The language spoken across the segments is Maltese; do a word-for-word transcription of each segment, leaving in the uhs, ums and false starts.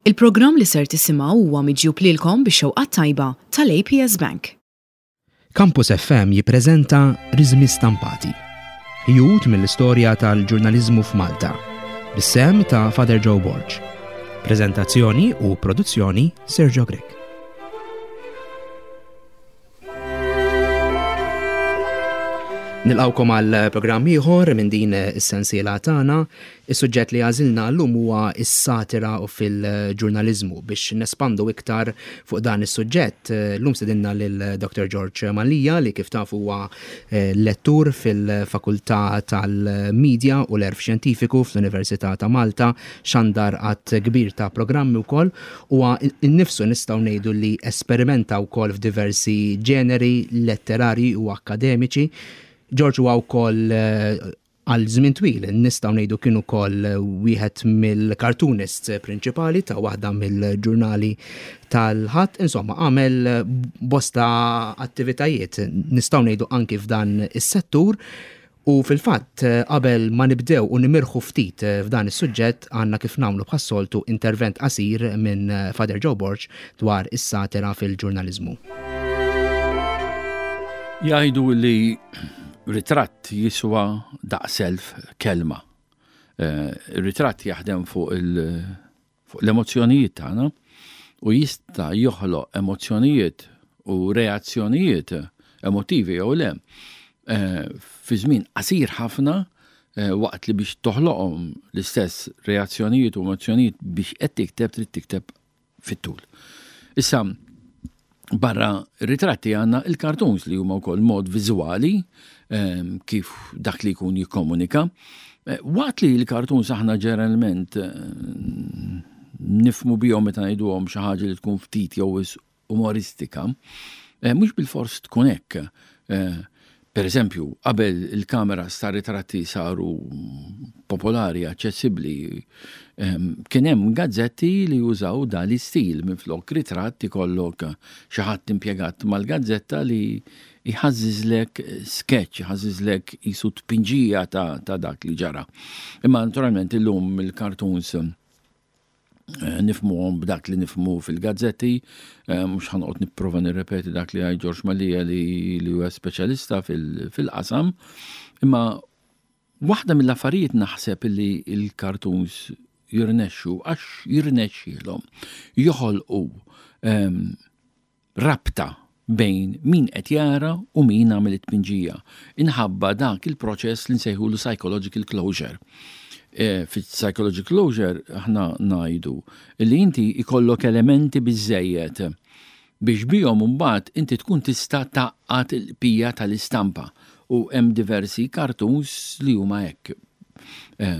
Il-programm li ser tisimgħu huwa miġjub lilkom bix-xewqa tajba tal-A P S Bank. Campus F M jippreżenta Riżmi Stampati. Ħjut mill-istorja tal-ġurnaliżmu f'Malta. Bis-sehem ta' Father Joe Borg. Prezentazzjoni u produzzjoni, Sergio Grech. Nilqawkom għal programm ieħor minn din is-sensiela tagħna. Is-suġġett li għażilna llum huwa s-satira u fil-ġurnaliżmu. Biex nespandu iktar fuq dan is-suġġett, llum stedinna lil Doctor George Mallia, li kif tafu huwa eh, lettur fil-Fakultà tal-Media u l-Għerf Xjentifiku fl-Università ta' Malta, xandar għadd kbir ta' programmi wkoll, huwa innifsu nistgħu ngħidu li esperimenta wkoll f'diversi ġeneri letterari u akkademiċi. George huwa wkoll eh, għal żmien twil nistgħu ngħidu kien ukoll wieħed mill-cartoonists prinċipali ta' waħda mill-ġurnali tal-Ħadd. Insomma, għamel bosta attivitajiet, nistgħu ngħidu, anki f'dan is-settur. U fil-fatt, qabel ma nibdew u nimirħu ftit f'dan is-suġġett, għandna, kif nagħmlu bħas-soltu, intervent qasir minn Father Joe Borg dwar is-satira fil-ġurnaliżmu. Jgħidu li ritratt jiswa daqs elf kelma. Eh, ritratt jaħdem fuq l-emozzjonijiet tagħna u jista' joħloq emozzjonijiet u reazzjonijiet emotivi jew le eh, fi żmien qasir ħafna, eh, waqt li biex toħloqhom l-istess reazzjonijiet u emozzjonijiet biex qed tikteb, trid tikteb fit-tul. Issa, barra ritratti għandna il-cartoons, li huma wkoll mod viżwali ehm, kif dak li jkun jikkomunika. Eh, waqt li l-cartoons aħna ġeneralment eh, nifhmu bihom meta ngħiduhom xi ħaġa li tkun ftit jew umoristika, eh, mhux bil-fors tkun hekk. Per eżempju, qabel il-kameras ta' ritratti saru popolari, aċċessibbli, kien hemm gazzetti li jużaw dan l-istil: minflok ritratt ikollok xi ħadd impjegat mal-gazzetta li jħażżiżlek sketch, jħażżiżlek jisu tpinġija ta', ta dak li ġara. Imma naturalment illum il-cartoons Eh, nifhmuhom b'dak li nifhmu fil-gazzetti, eh, mhux ħa noqgħod nipprova nirrepeti dak li għaj George Mallia li li huwa speċjalista fil-qasam, imma waħda mill-affarijiet naħseb li il-cartoons jirnexxu għax jirnexxilhom joħolqu ehm, rabta bejn min qed jara u min għamel it-tpinġija. Inħabba dak il-proċess li nsejħulu psychological closure. E, Fit-psychological closure aħna ngħidu li inti ikollok elementi biżejjed biex bihom mbagħad inti tkun tista' tgħaqqad il-bqija tal-istampa, u hemm diversi cartoons li huma hekk. E,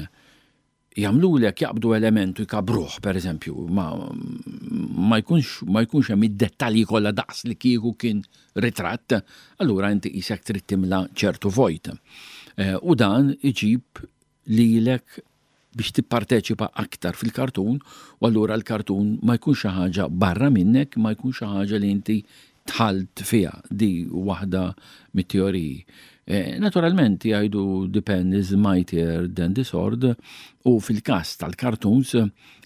jagħmlulek jaqbdu elementu jkabruh, per eżempju, ma, ma jkunx ma jkunx hemm id-dettalji kollha daqs li kieku kien ritratt, allura inti qisek trid timla ċertu vojt. E, u dan iġib lilek biex tipparteċipa aktar fil-kartun, u allura l-kartun ma jkunx xi ħaġa barra minnek, ma jkunx xi ħaġa li inti dħalt fiha. Di waħda mit-teoriji. E, naturalment jgħidu "the pen is mightier than the sword", u fil-każ tal-cartoons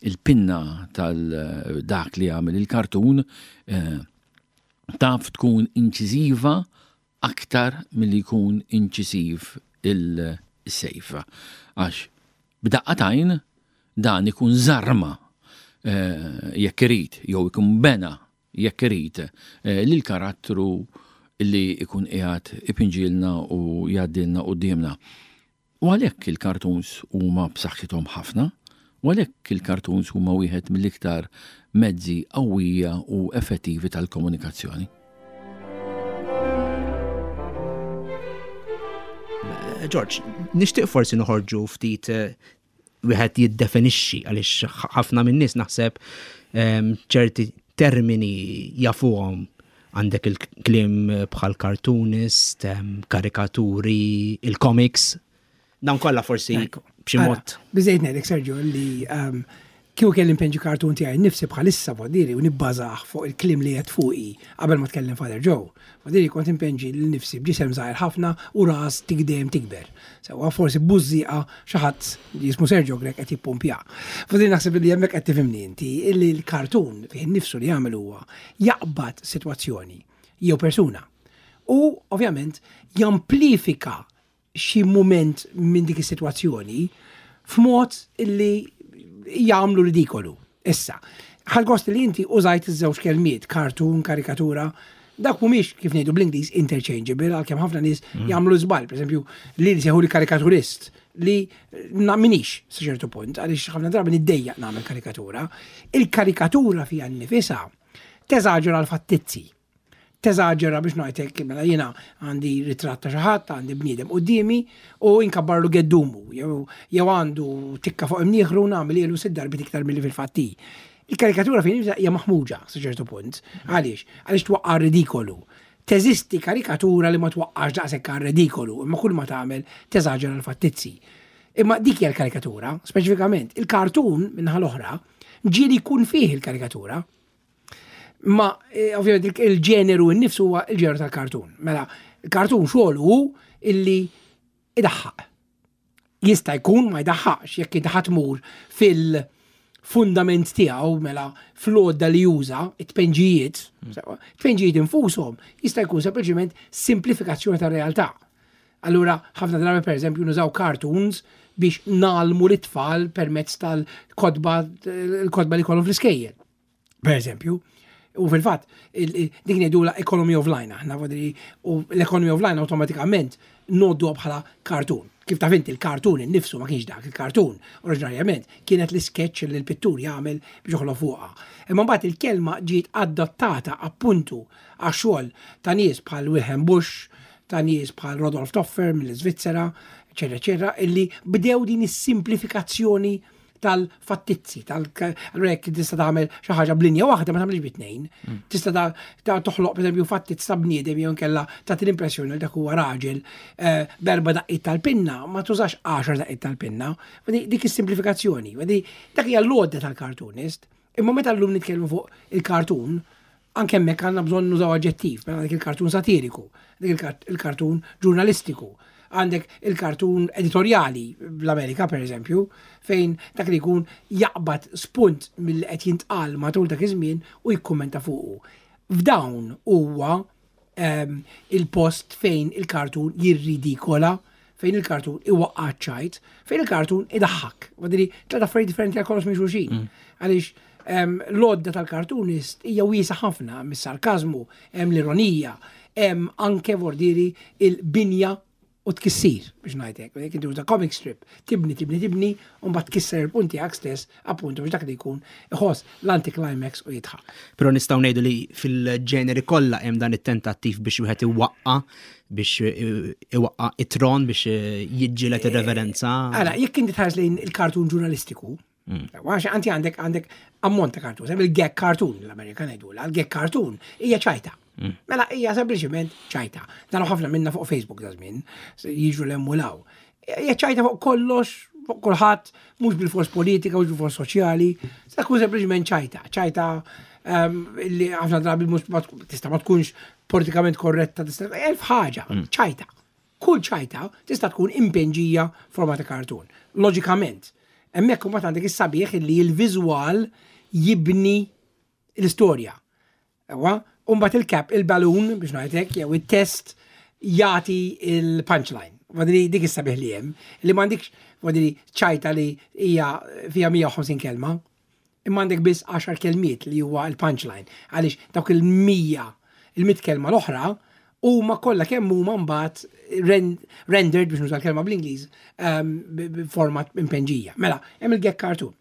il-pinna tal-dak li għamel il-kartun e, taf tkun inċiżiva aktar milli jkun inċisiv il-sejf. Għax b'daqqa t'għajn dan ikun żarma eh, jekk irid, jew ikun bena jekk irid eh, lil karattru li ikun qiegħed ipinġilna u jgħaddilna qudiemna. U għalhekk il-cartoons huma b'saħħithom ħafna, u għalhekk il-cartoons huma wieħed mill-iktar mezzi qawwija u effettivi tal-komunikazzjoni. George, nixtieq forsi noħorġu ftit, eh, wieħed jiddefinixxi, għaliex ħafna min-nies naħseb ehm, ċerti termini jafuhom, għandek il-kliem bħal cartoonist, ehm, karikaturi, il-comics, dawn kollha forsi b'xi mod. Biżejt ngħidlek, Sergio, li ehm, Kieku kelli npinġi kartun tiegħi nifsi bħalissa, vodiri, u nibbażah fuq il-kliem li qed fuqi qabel ma tkellem Father Joe. Vodiri, kont inpinġi lil nifsi b'ġisem żgħir ħafna u ras tikdem tikber. Sewwa, forsi bużżieqa, xi ħadd li jismu Sergio Grech qed jippumpja. Vodiri, naħseb li hemmhekk qed tifhimni inti illi l-kartun fih nifsu li jagħmel huwa jaqbad sitwazzjoni jew persuna u ovvjament jamplifika xi mument minn dik is-sitwazzjoni f'mod illi jagħmlu ridikolu. Issa, ħadt gost li inti użajt iż-żewġ kelmiet, cartoon, karikatura, dak mhumiex, kif ngħidu bl-Ingliż, interchangeable, għalkemm ħafna nies mm. jagħmlu żball, pereżempju li li li karikaturist li m'iniex sa ċertu punt, għaliex ħafna drabi niddejjaq nagħmel karikatura. Il-karikatura fiha nnifisha teżaġera l-fattizzi, teżaġera, biex ngħidlek, mela jiena għandi ritratt ta' xi ħadd, għandi bniedem quddiemi u inkabbarlu geddumu, jew għandu tikka fuq imnieħru, nagħmel ilu sitt darbiet iktar milli fil-fatti. Il-karikatura fejn hija maħmuġa sa ċertu punt. Għaliex? Għaliex twaqqa' ridikolu. Teżisti karikatura li ma twaqqax daqshekk ridikolu, imma kull ma tagħmel teżaġera l-fattizzi. Imma dik hija l-karikatura, speċifikament. Il-kartun min-naħa l-oħra ġieli jkun fih il-karikatura. Ma eh, ovvjament il-ġeneru innifsu huwa il-ġeneru tal-kartun. Mela, il-kartun xogħol hu illi idaħħaq. Jista' jkun ma jdaħħaqx jekk inti tmur fil-fundament tiegħu, mela fl-għodda li juża, it-tpenġijiet, it-tpenġijiet infushom jista' jkun sempliċement simplifikazzjoni tar-realtà. Allura, ħafna drabi, per eżempju, nużaw cartoons biex ngħallmu l-tfal permezz tal-kotba, il-kotba li kollhom fl-iskejjel. Per eżempju, u fil-fatt, dik ngħidula economy of line, aħna, u l-economy of line automatikament ngħoddu bħala cartoon. Kif taf inti, il-cartoon innifsu ma kienx dak il-cartoon. Oriġinarjament kienet l-sketch li l-pittur jagħmel biex joħloq fuqha. Imma mbagħad il-kelma ġiet adottata appuntu għax-xogħol ta' nies bħal Wilhelm Busch, ta' nies bħal Rodolf Töpffer mill-Svizzera, eċetera, eċetera, illi bdew din is-simplifikazzjoni tal-fattizzi, tal allura jekk tista' tagħmel xi ħaġa b'linja waħda, ma tagħmilx bi tnejn. Mm. Tista' ta' toħloq, pereżempju, fattizz ta' bniedem jew inkella tagħti l-impressjoni li dak huwa raġel eh, b'erba' daqqiet tal-pinna, ma tużax għaxar daqqiet tal-pinna. Dik is-simplifikazzjoni. Dak hija l-għodda tal-cartoonist. Imma meta llum nitkellmu fuq il-cartoon, anke hemmhekk għandna bżonn nużaw aġġettiv, mela dik il-kartun satiriku, dik il-kartun ġurnalistiku, għandek il-kartun editoriali bl-Amerika, per eżempju, fejn dak li jkun jaqbad spunt mill qed jintqal matul dak iż-żmien u jikkummenta fuqu. F'dawn huwa um, il-post fejn il-kartun jirridikola, fejn il-kartun iwaqqa' ċajt, fejn il-kartun idaħħak. Wadri, tliet affarijiet differenti għal kollox minn xulxin. Mm. Għaliex um, l-għodda tal-kartunist hija wiesa ħafna, mis-sarkazmu, hemm l-ironija, hemm anke, vordiri, il-binja u tkissir, biex ngħidlek. Jekk inti uża comic strip, tibni, tibni, tibni, u mbagħad tkisser il-punti tiegħek stess, appuntu biex dak li jkun iħoss l-anticlimax u jidħak. Però nistgħu ngħidu li fil-ġeneri kollha hemm dan it-tentattiv biex wieħed iwaqqa biex iwaqqa it-tron, biex jiġġieled ir-reverenza. Ara, jekk inti tħares lejn il-kartun ġurnalistiku, mm. għax anti għandek għandek ammont ta' kartun, il-gag cartoon, l-Amerikan jgħidula, il-gag cartoon hija ċajta. Mm. Mela hija sempliċement ċajta. Dan ħafna minna fuq Facebook da żmien, jiġu l-emulaw. Hija ċajta fuq kollox, fuq kulħadd, mhux bil-fors politika, mhux bil-fors soċjali, sa tkun sempliċement ċajta. Ċajta ehm, li ħafna drabi mhux tista' ma tkunx politikament korretta, tista' elf ħaġa, mm. ċajta. Kull ċajta tista' tkun impinġija forma ta' kartun. Loġikament, hemmhekk imbagħad għandek is-sabiħ li l-viżwal jibni l-istorja. Ewa, Umbat il-cap, il-balloon, biex ngħidlek, jew il-test jagħti il-punchline. Wadri, dik is-sabiħ li hemm, li m'għandikx, wadri, ċajta li hija fiha mija u ħamsin kelma, imma għandek biss għaxar kelmiet li huwa il-punchline. Għaliex dawk il-mija, il-mitt kelma l-oħra, huma kollha kemm huma mbagħad rendered, biex nuża l-kelma bl-Ingliż, um, b'format impinġija. Mela, hemm il-gag cartoon.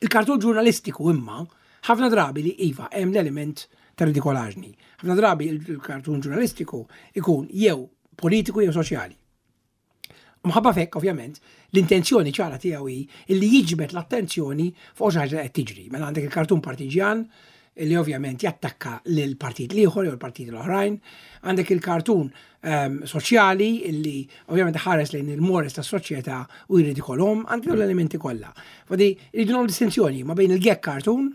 Il-kartun ġurnalistiku imma ħafna drabi li iva hemm l-element ta' ridikolaġni. Ħafna drabi il-kartun ġurnalistiku ikun jew politiku jew soċjali. Mħabba f'hekk, ovvjament, l-intenzjoni ċara tiegħu hi illi jiġbed l-attenzjoni fuq xi ħaġa qed tiġri. Mela għandek il-kartun partiġjan li ovvjament jattakka lil partit l-ieħor jew l-partit l-oħrajn, għandek il-kartun um, soċjali illi ovvjament ħares lejn il-mores tas-soċjetà u jrid ikollhom, għandek l-elementi kollha. Fadi rridu nagħmlu distinzjoni ma bejn il-gag cartoon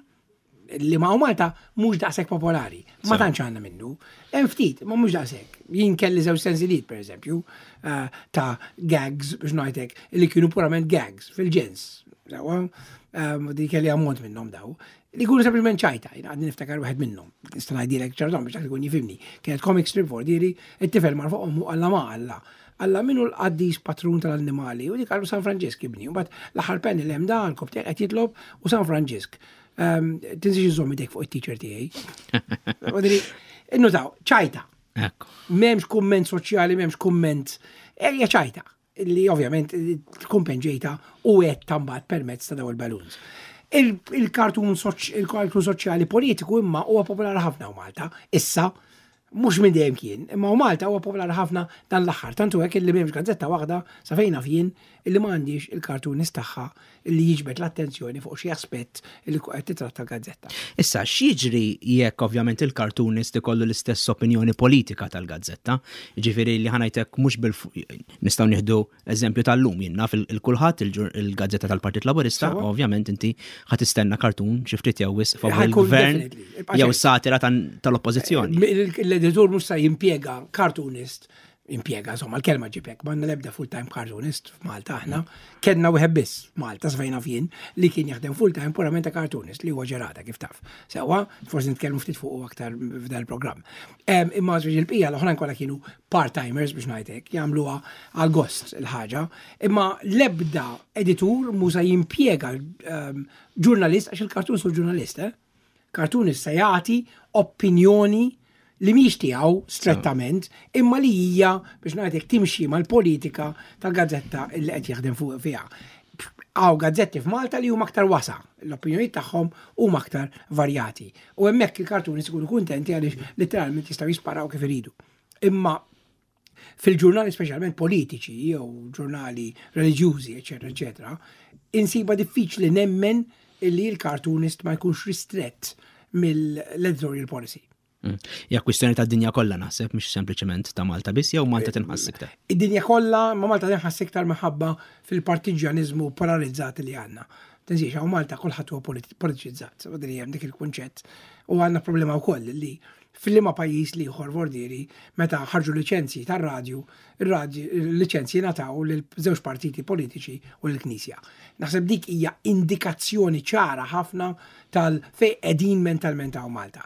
li ma' Malta mhux daqshekk popolari. Ma tantx għandna minnu. Hemm ftit, ma mhux daqshekk. Jien kelli żewġ sensiliet pereżempju eh, ta' gags biex ngħidlek li kienu purament gags fil-ġens. Ehm, di kelli ammont minnhom daw. Li jkunu sempliċement ċajta, jien għadni niftakar wieħed minnhom. Nista' ngħidilek ċartom biex dak ikun jifhimni. Kienet comic strip for diri, it-tifel mar fuq ommu alla ma alla. Alla minu l-qaddis patrun tal-annimali u dik għallu San Franġisk ibni. U bat l-aħħar penni l-hemm da għal qed jitlob u San Franġisk. Ehm, tinsiex iżomm idek fuq it-teacher tiegħi. Innutaw, ċajta. M'hemmx kumment soċjali, m'hemmx kumment. Ejja ċajta li ovvjament tkun penġejta u qed tambat permezz ta' daw il-balloons. Il-kartun il-kartun soċjali politiku imma huwa popolari ħafna u Malta. Issa, mhux minn dejjem kien, imma u Malta huwa popolari ħafna dan l-aħħar. Tantu hekk illi m'hemmx gazzetta waħda sa fejn naf jien illi m'għandix il-kartunist tagħha illi jiġbed l-attenzjoni fuq xi aspett illi qed titratta l-gazzetta. Issa, x'jiġri jekk ovvjament il-cartoonist ikollu l-istess opinjoni politika tal-gazzetta? Ġifieri li ħa ngħidlek mhux bil nistgħu nieħdu eżempju tal-lum jien naf il-kulħadd il-gazzetta tal-Partit Laburista, ovvjament inti ħa tistenna cartoon xi ftit jew wisq favur il-gvern jew satira tal-oppożizzjoni. L-editur mhux se jimpjega cartoonist impjega, insomma, l-kelma ġibek, ma l-ebda full-time cartoonist f'Malta aħna, kellna wieħed biss Malta svejna fien li kien jaħdem full-time purament ta' cartoonist li huwa ġerata kif taf. Sewa, forsi nitkellmu ftit fuq aktar f'dan il-programm. Imma żwieġ il-bqija l-oħrajn kollha kienu part-timers biex ngħidlek, jagħmluha għal gost il-ħaġa. Imma l-ebda editur musa jimpjega ġurnalist għax il-cartoon su ġurnalist, eh? Cartoonist se jagħti opinjoni li mhix tiegħu strettament, imma li hija biex ngħidlek timxi mal-politika tal-gazzetta li qed jaħdem fuq fiha. Hawn gazzetti f'Malta li huma aktar wasa, l-opinjonijiet tagħhom huma aktar varjati. U hemmhekk il-cartoonists ikunu kuntenti għaliex letteralment jistgħu jisparaw kif iridu. Imma fil-ġurnali speċjalment politiċi jew ġurnali reliġjużi, eċetera, eċetera, insiba diffiċli nemmen illi l-cartoonist ma jkunx ristrett mill-editorial policy. Ja kwistjoni ta' dinja kollha naħseb, mhux sempliċement ta' Malta biss jew Malta tinħass iktar. Id-dinja kollha, ma Malta tinħass iktar minħabba fil-partiġjaniżmu polarizzat li għandna. Tinsiex, hawn Malta kulħadd huwa politiċizzat, li hemm dik il-kunċett. U għandna problema wkoll li fil-liema pajjiż li ieħor vordieri meta ħarġu liċenzji tar-radju, ir-radju liċenzji ngħataw lil żewġ partiti politiċi u l-Knisja. Naħseb dik hija indikazzjoni ċara ħafna tal fej qegħdin mentalment hawn Malta.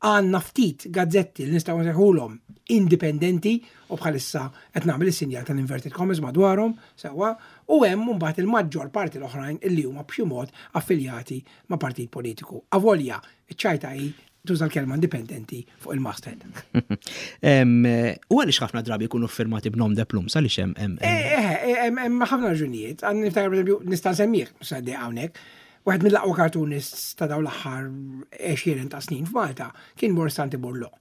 Għandna ftit gazzetti li nistgħu nsejħulhom indipendenti u bħalissa qed nagħmel is-sinjal tal-inverted commas madwarhom sewwa u hemm mbagħad il-maġġor parti l-oħrajn illi huma b'xi mod affiljati ma' partit politiku. Avolja, iċ-ċajta hi tuża l-kelma indipendenti fuq il-masthead. U għaliex ħafna drabi jkunu firmati b'nom de plume, għaliex hemm. Hemm ħafna raġunijiet. Għan niftakar pereżempju nista' nsemmih, saddi hawnhekk. Wieħed mill-aqwa cartoonists ta' dawn l-aħħar għexieren ta' snin f'Malta kien Morsanti Burlo.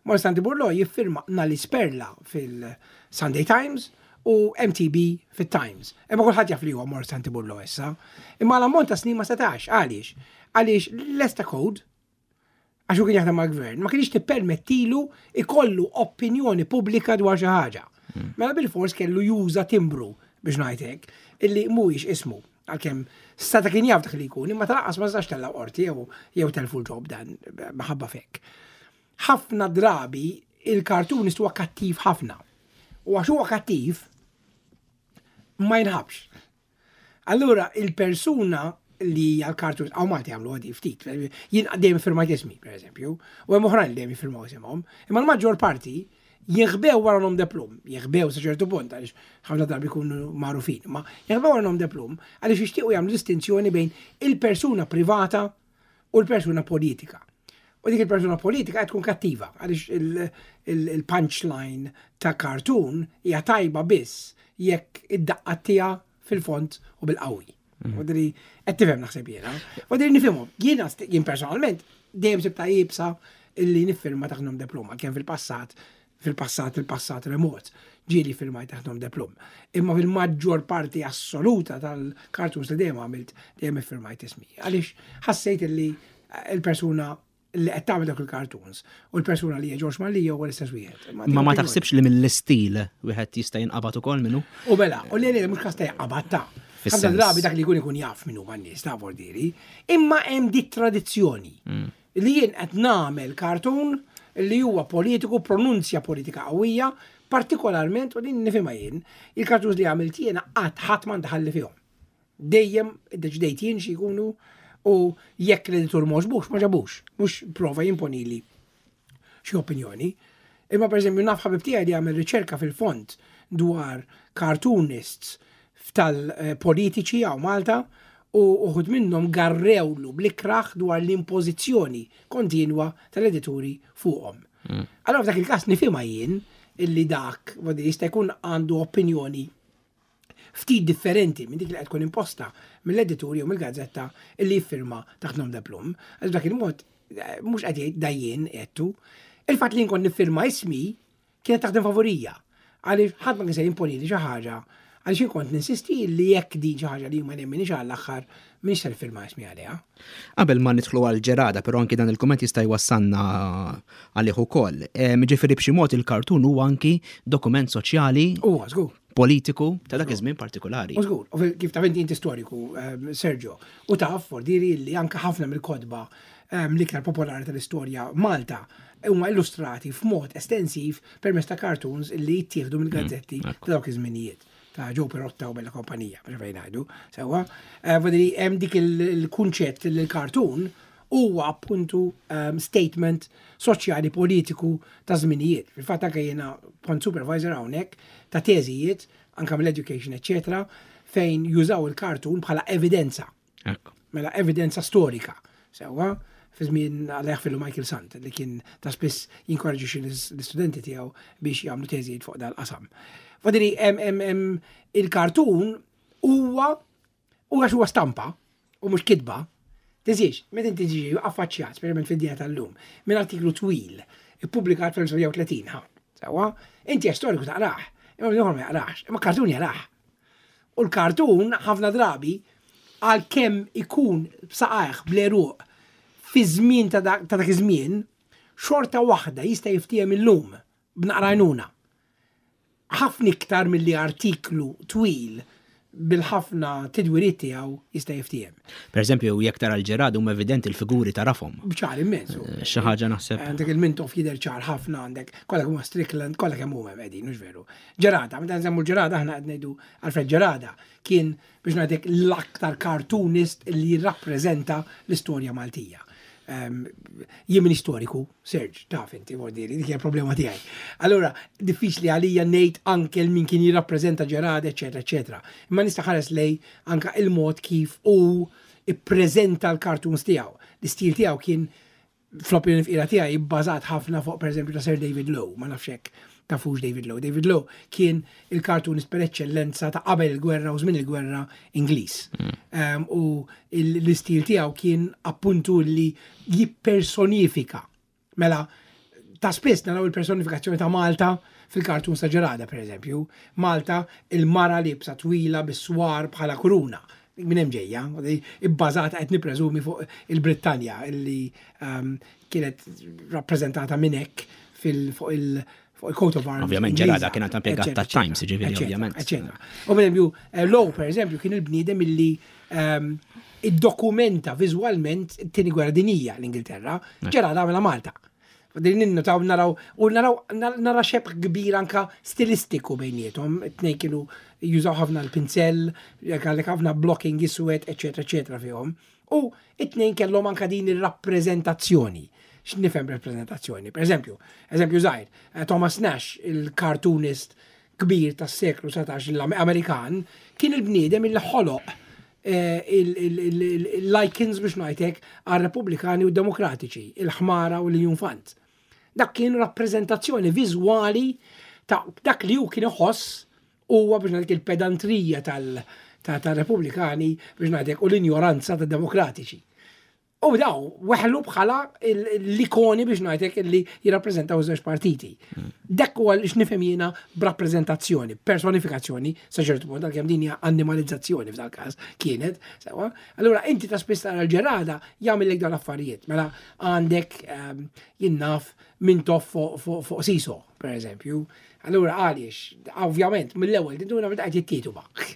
Morsanti Burlo jiffirma Nali Sperla fil-Sunday Times u M T B fit-Times. Imma kulħadd jaf li huwa Morsanti Burlo issa. Imma l-ammont ta' snin ma setax, għaliex? Għaliex l-Esta Code, għax hu kien jaħdem mal-gvern, ma kienx tippermettilu ikollu opinjoni pubblika dwar xi ħaġa. Mela bil-fors kellu juża timbru biex ngħidlek illi mhuwiex ismu għalkemm seta kien jaf dak li jkun, imma tal-aqas ma sax tella qorti jew jew telfu l-job dan maħabba fek. Ħafna drabi il-cartoonist huwa kattiv ħafna. U għax huwa kattiv ma jinħabx. Allura il-persuna li għal-cartoon, hawn Malti għamlu għadi ftit, jien dejjem firmajt ismi, per eżempju, u hemm oħrajn li dejjem jiffirmaw isimhom, imma l-maġġor parti jinħbew wara nom de plume, jinħbew sa ċertu punt, għaliex ħafna drabi jkunu magħrufin, ma jinħbew wara nom de plume għaliex jixtiequ jagħmlu distinzjoni bejn il-persuna privata u l-persuna politika. U dik il-persuna politika qed tkun kattiva, għaliex il-punchline ta' cartoon hija tajba biss jekk id-daqqa tiegħha fil-font u bil-qawwi. U dri, qed tifhem naħseb jiena. U dri nifhimhom. Jiena jien personalment dejjem sibta jibsa illi niffirma taħt nom de plume, kemm fil-passat, fil-passat, il-passat remot, ġieli firmajt taħt nom de plume. Imma fil-maġġor parti assoluta tal-cartoons li dejjem għamilt, dejjem iffirmajt ismi. Għaliex ħassejt illi il-persuna li qed tagħmel dak il-cartoons u l-persuna li hija Ġorġ Mallia huwa l-istess wieħed. Ma ma taħsibx li mill-istil wieħed jista' jinqabad ukoll minnu? U mela, u li li mhux każ ta' jinqabad ta'. Ħafna drabi dak li jkun ikun jaf minnu man-nies ta' vordiri, imma hemm dit tradizzjoni mm. li jien qed nagħmel cartoon li huwa politiku, pronunzja politika qawwija, partikolarment, u din nifhimha jien, il-cartoons li għamilt jiena qatt ħadd ma ndaħalli fihom. Dejjem iddeċidejt jien xi jkunu u jekk l-editur m'għoġbux, ma ġabux, mhux prova jimponili xi opinjoni. Imma per eżempju naf ħabib tiegħi li għamel riċerka fil-fond dwar cartoonists tal-politiċi hawn Malta u uħud minnhom garrewlu bl-ikraħ dwar l-impożizzjoni kontinwa tal-edituri fuqhom. Mm. Allora f'dak il-każ nifhimha jien illi dak jista' jkun għandu opinjoni ftit differenti minn dik li qed tkun imposta mill-edituri jew mill-gazzetta illi jiffirma taħt nom de plume. Għax dak il-mod eh, mhux qed jgħid dajjien qedtu. Il-fatt li nkun niffirma ismi kienet taħdem favorija. Għaliex ħadd ma kien se jimponi li xi ħaġa għaliex jien kont ninsisti li jekk din xi ħaġa li ma nemminix għall-aħħar minix se nifirma ismi għaliha. Qabel ma nidħlu għal Gerada, però anki dan il-kumment jista' jwassalna għalih ukoll. Ġifieri b'xi mod il-kartun huwa anki dokument soċjali. Huwa żgur. Politiku ta' dak iż-żmien partikolari. U żgur, u kif taf inti inti storiku, Sergio, u taf fordiri li anke ħafna mill-kotba l-iktar popolari tal-istorja Malta huma illustrati f'mod estensiv permezz ta' cartoons li jittieħdu mill-gazzetti mm, ta' dawk iż-żminijiet ta' Joe Pirotta u Bella Kompanija, biex fejn ngħidu. Sewwa, eh, Vodiri hemm dik il-kunċett li l-cartoon huwa appuntu um, statement soċjali politiku ta' żminijiet. Fil-fatt anke jiena kont supervisor hawnhekk ta' teżijiet anke mill-education, eccetera, fejn jużaw il-cartoon bħala evidenza. Mela evidenza storika. Sewwa, fi żmien għalih fillu Michael Sant li kien ta' spiss jinkoraġixxi l-istudenti tiegħu biex jagħmlu teżijiet fuq dal-qasam. Fadiri, il-kartun huwa u għax huwa stampa u mhux kitba, tiżix, meta inti tiġi affaċċjat, speċjalment fid-dinja tal-lum, minn artiklu twil, ippubblikat fl-elf disa' mija u tletin, ha, sewwa, inti storiku taqrah, imma ieħor ma jaqrax, imma kartun jarah. U l-kartun ħafna drabi għal kemm ikun b'saqajh bl-għeruq fi żmien ta' dak ta' dak iż-żmien, xorta waħda jista' jiftiehem illum b'naqra għajnuna. Ħafna iktar milli artiklu twil bil-ħafna tidwiriet tiegħu jista' jiftiehem. Per eżempju, jekk tara l-Gerada huma evidenti l-figuri tarafhom. Ċar immens. Eh, xi ħaġa naħseb. Għandek il-Mintoff jidher ċar ħafna għandek, kollha kemm huma Strickland, kollha kemm huma qegħdin, mhux veru. Gerada, meta nsemmu Gerada aħna qed ngħidu Alfred Gerada kien biex ngħidlek l-aktar cartoonist li jirrappreżenta l-istorja Maltija. Um, jien minn istoriku, Serge, taf inti, vordiri, dik hija problema tiegħi. Allura, diffiċli għalija ngħid anke min kien jirrappreżenta Gerada, eċetera, eċetera. Imma nista' ħares lej anke il-mod kif hu ippreżenta l-cartoons tiegħu. L-istil tiegħu kien fl-opinjoni fqira tiegħi bbażat ħafna fuq pereżempju ta' Sir David Low, ma nafx hekk tafux David Low. David Low kien il-cartoonist per eccellenza ta' qabel il-gwerra u żmien il-gwerra Ingliż. Um, u l-istil tiegħu kien appuntu li jippersonifika. Mela, ta' spiss naraw il-personifikazzjoni ta' Malta fil-cartoon ta' Gerada, per eżempju. Malta, il-mara libsa twila bis-swar bħala kuruna. Minn hemm ġejja, ibbażata qed nippreżumi fuq il-Brittanja illi um, kienet rappreżentata minn hekk fil fuq il- fuq il-coat of arms. Ovvjament, Ingliża, Gerada kienet impjegat eccetera, ta' Times, ġifieri, eccetera, ovvjament. eccetera. U per eżempju, eh, Low, per eżempju, kien il-bniedem illi um, iddokumenta viżwalment it-tieni gwerra dinija l-Ingilterra, Gerada għamela Malta. Din ninnotaw naraw, u naraw, nara xebh kbir anka stilistiku bejniethom, it-tnejn kienu jużaw ħafna l-pinsell, għalek ħafna blocking iswed, eccetera, eccetera fihom. U it-tnejn kellhom anka din ir-rappreżentazzjoni. X'nifhem rappreżentazzjoni? Per eżempju, eżempju żgħir, eh, Thomas Nash, il-cartoonist kbir tas-seklu satax l-Amerikan, kien il-bniedem il ħoloq eh, il-icons biex ngħidlek għal-Repubblikani u Demokratiċi, il-ħmara u l-iljunfant. Dak kien rappreżentazzjoni viżwali ta' dak li hu kien iħoss huwa biex ngħidlek il-pedantrija tal- ta' tal-Repubblikani biex ngħidlek u l-injoranza tad-Demokratiċi. U daw, weħlu bħala l-ikoni, biex ngħidlek, li jirrappreżentaw żewġ partiti. Dak huwa li x'nifhem jiena b'rappreżentazzjoni, personifikazzjoni, sa ċertu punt, għalkemm din hija animalizzazzjoni f'dal każ kienet, sewa. Allura inti ta' spiss tara l-Gerada jagħmel dawn l-affarijiet. Mela għandek ehm, jien naf, Mintoff fuq seesaw, per eżempju. Allura għaliex, ovvjament, mill-ewwel tinduna meta qed jittietu bak.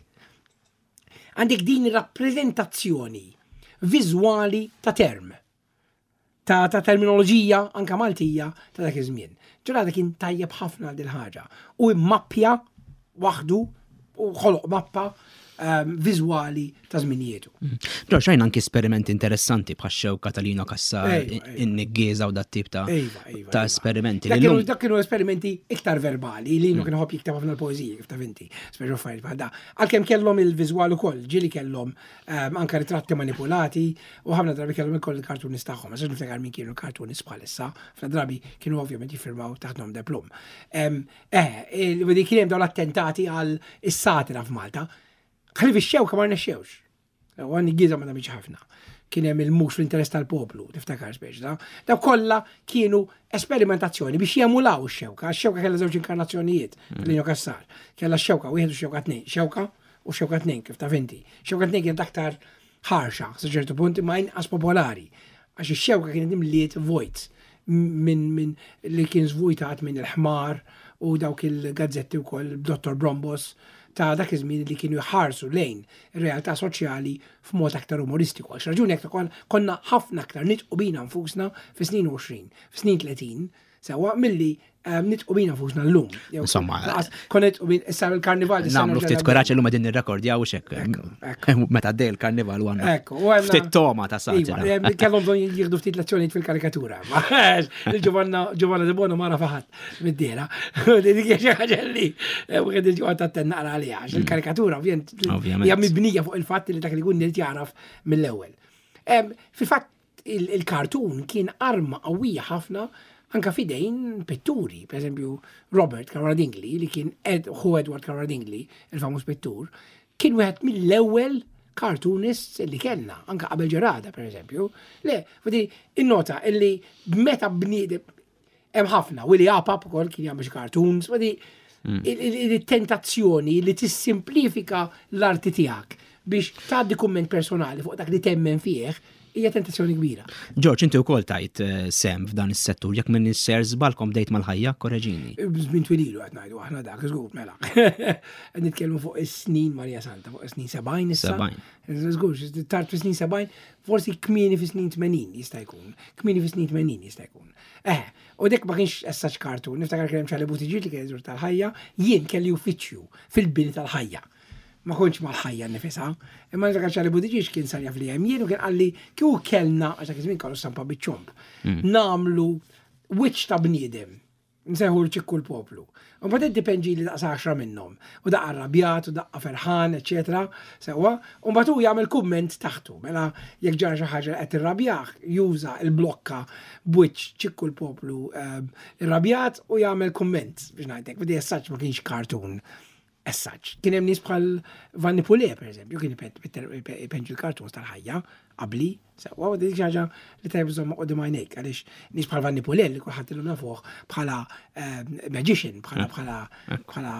Għandek din rappreżentazzjoni viżwali ta' term, Ta', ta terminoloġija anka Maltija ta' dak iż-żmien. Gerada kien tajjeb ħafna għal din ħaġa u mmappja waħdu u ħoloq mappa um, viżwali ta' żminijietu. George, rajna anki esperimenti interessanti bħax xewka ta' Lino Cassar, in-niggieża u dat tip ta' ta' esperimenti. Dak kienu esperimenti iktar verbali, Lino kien iħobb jikteb ħafna l-poeżiji, kif taf inti, speċi affarijiet bħal da. Għalkemm kellhom il-viżwal ukoll, ġieli kellhom um, anka ritratti manipulati u ħafna drabi kellhom ukoll il-cartoonist tagħhom. Ma niftakar min kienu l-cartoonist bħalissa, ħafna drabi kienu ovvjament jiffirmaw taħt nom de plume. Eh, kien hemm dawn l-attentati għal is-satira f'Malta. Ħlief ix-xewka ma rnexxewx. U għan-niggieża ma nagħmilx ħafna. Kien hemm il-mhux fl-interess tal-poplu, tiftakar speċi da. Daw kollha kienu esperimentazzjoni biex jemulaw ix-xewka. Ix-xewka kellha żewġ inkarnazzjonijiet, mm. Lino Cassar. Kellha x-xewka wieħed u xewka tnejn. Xewka u xewka tnejn, kif taf inti. Xewka tnejn kienet aktar ħarxa, sa ċertu punt, ma inqas popolari. Għax ix-xewka kienet imliet vojt minn min li kien zvujtat minn il-ħmar u dawk il-gazzetti wkoll Dottor Brombos ta' dak iż-żmien li kienu jħarsu lejn ir-realtà soċjali f'mod aktar umoristiku. Għax raġuni aktar konna ħafna aktar nidħku bina nfusna fi snin għoxrin, fi snin tletin, sewa milli ehm, nidħku bina nfusna llum. Insomma, konna nidħku bin issa il-karnival. Nagħmlu ftit kuraġġ, illum qegħdin nirrekordjaw xek. Meta għaddej il-karnival u għandna. Ftit toma ta' satira. Iva, kellhom bżonn jieħdu ftit lezzjonijiet fil-karikatura. Il-Giovanna Giovanna De Bono ma rafaħat mid-dera. Dik hija xi ħaġa li eh, wieħed il-ġuqgħod attenna naqra għaliha, għax il-karikatura ovvjament hija mibnija fuq il-fatt li dak li jkun irid jaraf mill-ewwel. Fil-fatt il-kartun kien arma qawwija ħafna anka fidejn pitturi, per eżempju Robert Caruana Dingli, li kien Ed, hu Edward Caruana Dingli, il-famuż pittur, kien wieħed mill-ewwel cartoonists li kellna, anka qabel Gerada, per eżempju. Le, fadi, innota illi meta bniedem hemm ħafna, Willy Apap ukoll kien jagħmel xi cartoons, fadi il-tentazzjoni li tissimplifika l-arti tiegħek biex tgħaddi kumment personali fuq dak li temmen fih hija tentazzjoni kbira. George, inti wkoll tajt eh, sem f'dan is-settur, jekk minn ser żbalkom bdejt mal-Ħajja, korreġini. Żmien twililu qed ngħidu aħna dak, żgur, mela. Qed nitkellmu fuq is-snin Marija Santa, fuq is-snin sebgħin issa. Sebgħin. Żgur, tard fis-snin sebgħin, forsi kmieni fis-snin tmenin jista' jkun. Kmieni fis-snin tmenin jista' jkun. Eh, u dik ma kienx essaċ kartun, niftakar kien hemm Charlie Buttigieg li kien iżur tal-Ħajja, jien kelli uffiċċju fil-bini tal-Ħajja. Ma kontx mal-Ħajja nifisha, imma niftakar Charlie Buttigieg kien sar jaf li hemm jien u kien qalli kieku kellna, għax dak iż-żmien kellu stampa biċ-ċomb, nagħmlu wiċċ ta' bniedem, nsejħu l-ċikku l-poplu. U mbagħad inti li daqs għaxra minnhom. U daqqa arrabjat, u daqqa ferħan, eċetera. Sewwa, u mbagħad hu jagħmel kumment taħtu. Mela jekk ġara xi ħaġa qed irrabjah, juża l-blokka b'wiċċ ċikku l-poplu ehm, irrabjat u jagħmel kumment, biex ngħidlek. Bidi essaċ ma kienx cartoon. Essaċ. Kien hemm nies bħal Vanni Pule, per eżempju, kien ipenġi l-cartoons tal-Ħajja qabli, sewwa, u dik xi ħaġa li tajb żomma quddiem għajnejk, għaliex nies bħal Vanni Pule li kulħadd illum nafuh bħala ehm, magician, bħala bħala bħala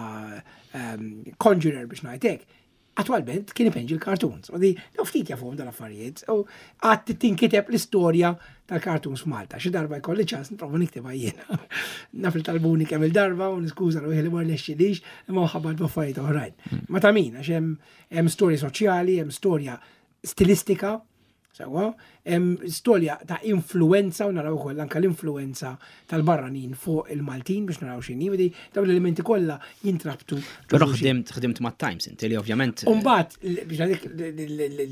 ehm, conjurer, biex ngħidlek. Attualment kien ipenġi l-cartoons. U di, daw ftit jafuhom dal-affarijiet. U għad tinkiteb l-istorja tal-cartoons f'Malta. Xi darba jkolli ċans nipprova niktibha jiena. Naf li talbuni kemm il-darba u niskuża ruħi li ma rnexxilix, imma ħabbat b'affarijiet oħrajn. Ma ta' min, għax hemm hemm storja soċjali, hemm storja stilistika, sewwa, hemm storja ta' influenza u naraw ukoll anke l-influenza tal-barranin fuq il-Maltin biex naraw x'inhi, vedi dawn l-elementi kollha jintrabtu. Però ħdimt ħdimt ma' Times inti li ovvjament. Umbagħad, biex għadik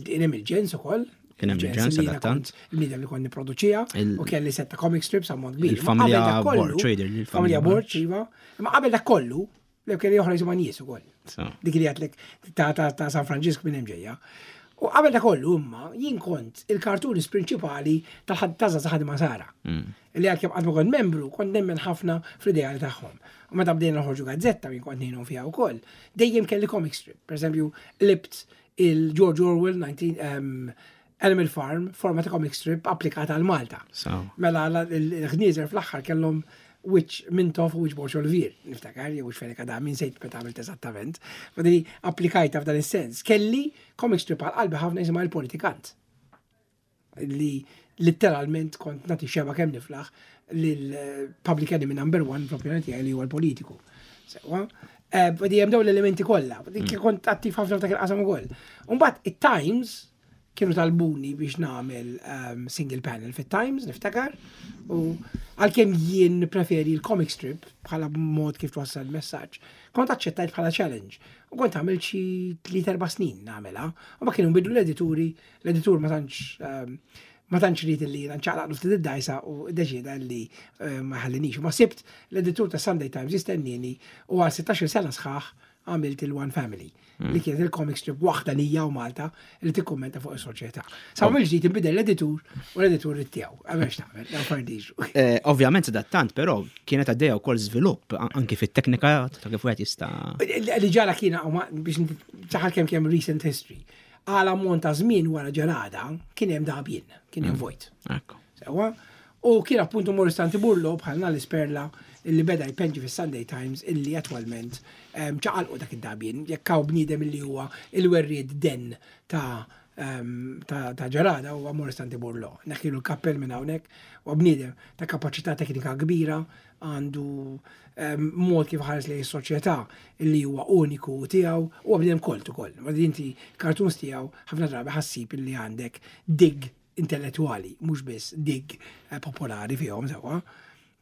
kien hemm il-ġens ukoll. Kien hemm il-ġens li jiena adattant. kont il-bniedem li kont nipproduċija Il- u kelli setta comic strips ammont kbir. Il-familja Ma qabel dak kollu- Borg, trader, il-familja Familja Borg. Borg, iva. Ma qabel dak kollu, li kelli oħra jisimha Nies ukoll. So. Dik li għatlek ta' ta' ta' San Franġisk minn hemm ġejja. U qabel dak kollu imma jien kont il-cartoonist prinċipali tal-ħadd ta' Ħaddiema Nsara. Li għalkemm qatt ma kont membru, kont nemmen ħafna fl-ideali tagħhom. U meta bdejna noħorġu gazzetta, jien kont ngħinhom fiha wkoll, dejjem kelli comic strip. Per eżempju, qlibt il-George Orwell nineteen, um, Animal Farm, forma ta' comic strip applikata għal Malta. Mela l-ħnieżer fl-aħħar kellhom wiċċ Mintoff u wiċċ Borg Olivier, niftakar, jew wiċċ Fenech Adami, nsejt meta għamilt eżattament. Fadili applikajta f'dan is-sens. Kelli comic strip għal qalbi ħafna jisimha il-politikant. Li letteralment kont nagħti xeba kemm niflaħ lil-public enemy number one fl-opinjoni tiegħi li huwa l-politiku. Sewwa. Badi hemm dawn l-elementi kollha. Dik kont attiv ħafna f'dak il-qasam ukoll. Umbagħad it-Times kienu talbuni biex nagħmel um, single panel fit-Times, niftakar. U għalkemm jien preferi l-comic strip bħala mod kif twassal messaġġ, kont aċċettajt bħala challenge. U kont għamil xi tliet erba' snin nagħmilha. U ma kienu bidlu l-edituri, l-editur ma tantx um, ma tantx ried li nċaqlaqlu ftit id-dajsa u deċida li eh, ma ħallinix. Ma sibt l-editur ta' Sunday Times jistennini u għal sittax-il sena sħaħ għamilt il-One Family, li kienet il-comic strip waħda nija u Malta li tikkummenta fuq is-soċjetà. Sa mill ġdid inbidel l-editur u l-editur tiegħu. Għamex tagħmel, dawn fardiġu. Eh, ovvjament tant, però kienet għaddejja wkoll żvilupp anki fit-teknika ta' kif wieħed jista' Li ġara kiena biex ċaħal kemm kemm recent history. Għal ammont ta' żmien wara ġarada kien hemm dagħbien, kien hemm vojt. Sewwa, u kien appuntu Morris Tanti Burlo bħalna l-isperla illi beda jpenġi fis-Sunday Times illi attwalment ċaqalqu dak id-dagħbien, jekk hawn bniedem illi huwa il-werried den ta' ta' ġarada huwa Morris Tanti Burlo. Neħħilu l-kappell minn hawnhekk, huwa bniedem ta' kapaċità teknika kbira, għandu mod kif ħares lejn is-soċjetà illi huwa uniku tiegħu, huwa bniedem kolt ukoll. Ma inti cartoons tiegħu ħafna drabi ħassib illi għandek dig intellettwali, mhux biss dig popolari fihom sewwa.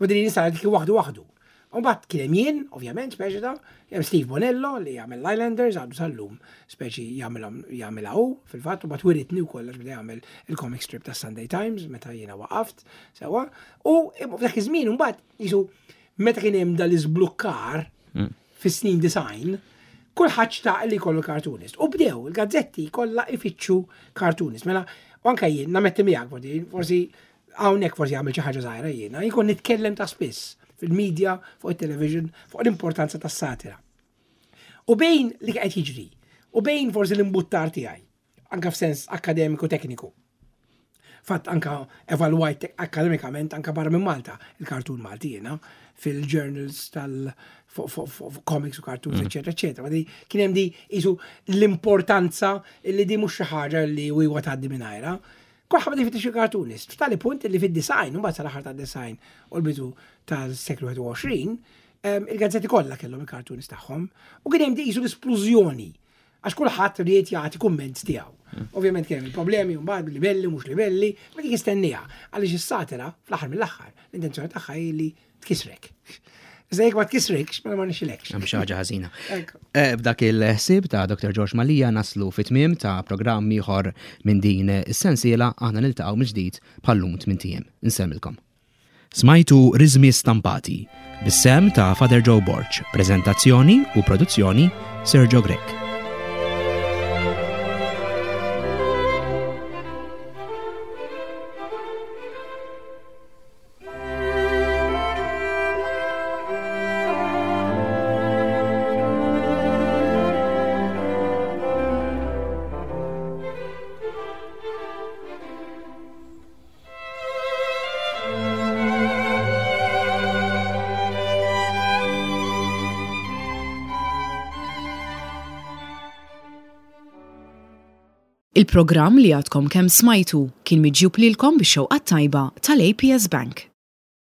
U din nista' dik waħdu waħdu. U mbagħad kien hemm jien, ovvjament, speċi ta' hemm Steve Bonello li jagħmel l-Islanders għadu sal-lum, speċi jagħmilhom jagħmilha hu fil-fatt, u mbagħad wiritni wkoll għax beda jagħmel il-comic strip tas Sunday Times meta jiena waqaft, sewwa. U f'dak iż-żmien mbagħad jisu meta kien hemm dal-iżblukkar fis-snin design, kulħadd xtaq li jkollu cartoonist. U bdew il-gazzetti kollha ifittxu cartoonist. Mela, u anke jien nametti miegħek forsi, forsi hawnhekk forsi għamil xi ħaġa żgħira jiena, jkun nitkellem ta' spiss fil-media, fuq il-television, fuq l-importanza tas-satira. U bejn li qed jiġri, u bejn forsi l-imbuttar tiegħi, anka f'sens akademiku tekniku. Fatt anka evalwajt akademikament anka barra minn Malta il-kartun Malti jiena fil-journals tal comics u cartoons, eccetera, eccetera. Ma di kien hemm di isu l-importanza li di mhux xi ħaġa li huwa tgħaddi mingħajra. Kulħadd beda jfittex il-cartoonist. F'tali punt li fid-design, u mbagħad sal-aħħar tad-design u l-bidu tas-seklu wieħed u għoxrin, il-gazzetti kollha kellhom il-cartoonist tagħhom u kien hemm di isu l-esplużjoni għax kulħadd ried jagħti kumment tiegħu. Ovvjament kien hemm il-problemi mbagħad libelli mhux libelli, ma dik istennija għaliex is-satira fl-aħħar mill-aħħar l-intenzjoni tagħha hi li tkisrek. Iżda jekk ma tkisrikx, mela ma nixilekx. Hemm xi ħaġa ħażina. Eh, b'dak il-ħsieb ta' Doktor George Mallia naslu fit-tmiem ta' programm ieħor minn din is-sensiela, aħna niltaqgħu mill-ġdid bħal-lum tmien ijiem. Insellmilkom. Smajtu Riżmi Stampati bis-sem ta' Father Joe Borg, preżentazzjoni u produzzjoni Sergio Grech. Il-programm li għadkom kemm smajtu kien miġjub lilkom bix-xewqa tajba tal-A P S Bank.